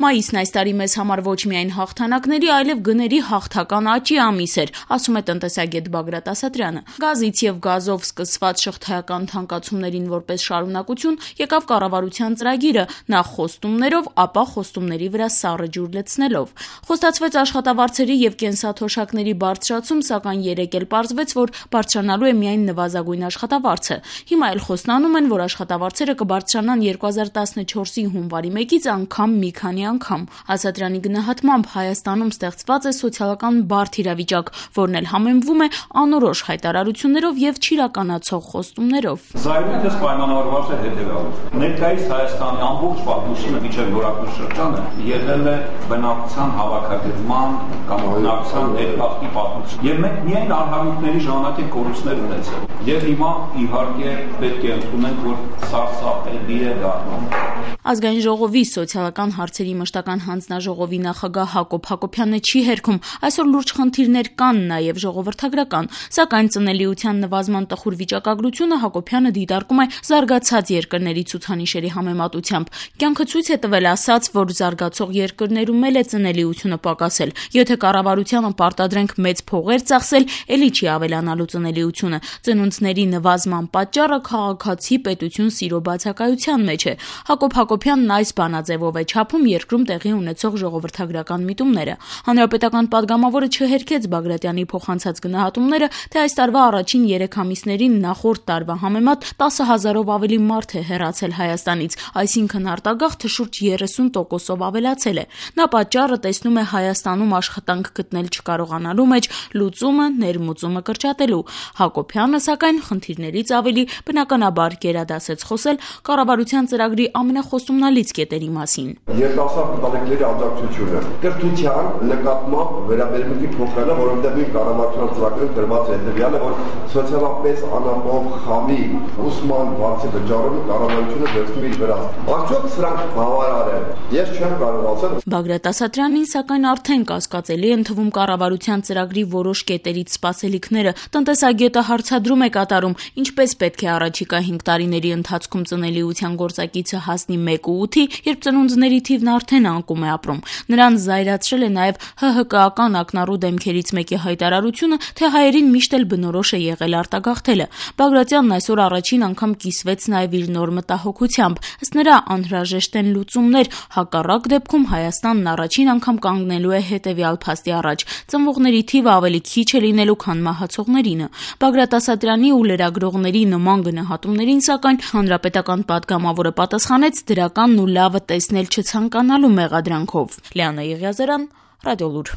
Մայիսն այս տարի մեզ համար ոչ միայն հաղթանակների, այլև գների հաղթական աճի ամիս էր, ասում է տնտեսագետ Բագրատ Ասատրյանը։ Գազից եւ գազով սկսված շղթայական թանկացումներին որպես շարունակություն եկավ կառավարության ծրագիրը, նախ խոստումներով, ապա խոստումների վրա սառը ջուր լցնելով։ Խոստացվեց աշխատավարձերի եւ կենսաթոշակների բարձրացում, սակայն երեկ էլ պարզվեց, որ բարձրանալու է միայն նվազագույն աշխատավարձը։ Հիմա էլ խոստանում են, որ աշխատավարձերը կբարձրանան 2014-ի հունվարի 1-ից անգամ մի քանի անգամ։ Ասատրյանի գնահատմամբ Հայաստանում ստեղծված է սոցիալական բարդ իրավիճակ, որն էլ համեմվում է անորոշ հայտարարություններով եւ չիրականացող խոստումներով։ Զայրույթս պայմանավորված է հետեւյալով. Ներկայիս Հայաստանի ամբողջ պատմությունը միջև նորակուց շրջանը եղել է բնակության հավաքագրման կամ բնակության ներկախտի պատմություն։ Եվ մենք միայն արհամիքների ժամանակ ենք կորուստներ ունեցել։ Եվ հիմա իհարկե պետք է ընդունենք, որ սարսափելի է դառնում։ Ազգային ժողովի սոցիալական հարցերի մշտական հանձնաժողովի նախագահ Հակոբ Հակոբյանը չի հերքում։ Այսօր լուրջ խնդիրներ կան նաև ժողովրդագրական, սակայն ծնելիության նվազման տխուր վիճակագրությունը Հակոբյանը դիտարկում է զարգացած երկրների ցուցանիշերի համեմատությամբ։ Կյանքը ցույց է տվել, ասաց, որ զարգացող երկրներում էլ է ծնելիությունը պակասել։ Եթե կառավարությանը պարտադրենք մեծ փողեր ծախսել, էլի չի ավելանալու ծնելիությունը։ Ծնունդների նվազման պատճառը քաղաքացի պետություն սիրո բացակայության մեջ է։ Հակոբ Հակոբյանն այս բանաձևով է չափում երկրում տեղի ունեցող ժողովրդագրական միտումները։ Հանրապետական падգամավորը չհերքեց Բագրատյանի փոխանցած գնահատումները, թե այս տարվա առաջին 3 ամիսներին նախորդ տարվա համեմատ 10,000-ով ավելի մարդ է հեռացել Հայաստանից, այսինքն արտագաղթը շուրջ 30%-ով ավելացել է։ Նա պատճառը տեսնում է Հայաստանում աշխատանք գտնել չկարողանալու մեջ լուծումը ներմուծումը կրճատելու։ Հակոբյանը, սակայն, խնդիրներից ավելի բնականաբար գերադասեց խոսել կառավարության ծրագրի ամենախոստումնալից կետերի մասին։ Երիտասարդ ընտանիքների աջակցությունը կրթության նկատմամբ վերաբերմունքի փոխելը, որովհետև նույն կառավարության ծրագրում դրված է հետևյալը, որ սոցիալապես անապահով խավի ուսման վարձի վճարումը կառավարությունը վերցնում իր վրա։ Արդյոք սրանք բավարար են։ Ես չեմ կարող ասել։ Բագրատ Ասատրյանին, սակայն, արդեն կասկածելի են թվում կառավարության ծրագրի որոշ կետերից սպասելիքները։ Տնտեսագետը հարցադրում է կատարում, ինչպես պետք է առաջիկա 5 տարիների ընթացքում ծնելիության գործակիցը հասնի 1.8-ի, երբ ծնունդների թիվն արդեն անկում է ապրում։ Նրան զայրացրել է նաև ՀՀԿ-ական ակնառու դեմքերից մեկի հայտարարությունը, թե հայերին միշտ էլ բնորոշ է եղել արտագաղթելը։ Բագրատյանն այսօր առաջին անգամ կիսվեց նաև իր նոր մտահոգությամբ։ Ըստ նրա, անհրաժեշտ են լուծումներ, հակառակ դեպքում Հայաստանն առաջին անգամ կանգնելու է հետևյալ փաստի առաջ. ծնվողների թիվը ավելի քիչ է լինելու, քան մահացողներինը։ Բագրատ Ասատրյանի ու լրագրողների նման գնահատումներին, սակայն, հանրապետական падգամավորը պատասխանեց դրականն ու լավը տեսնել չցանկանալու մեղադրանքով։ Լիանա Եղիազարյան, Ռադիոլուր։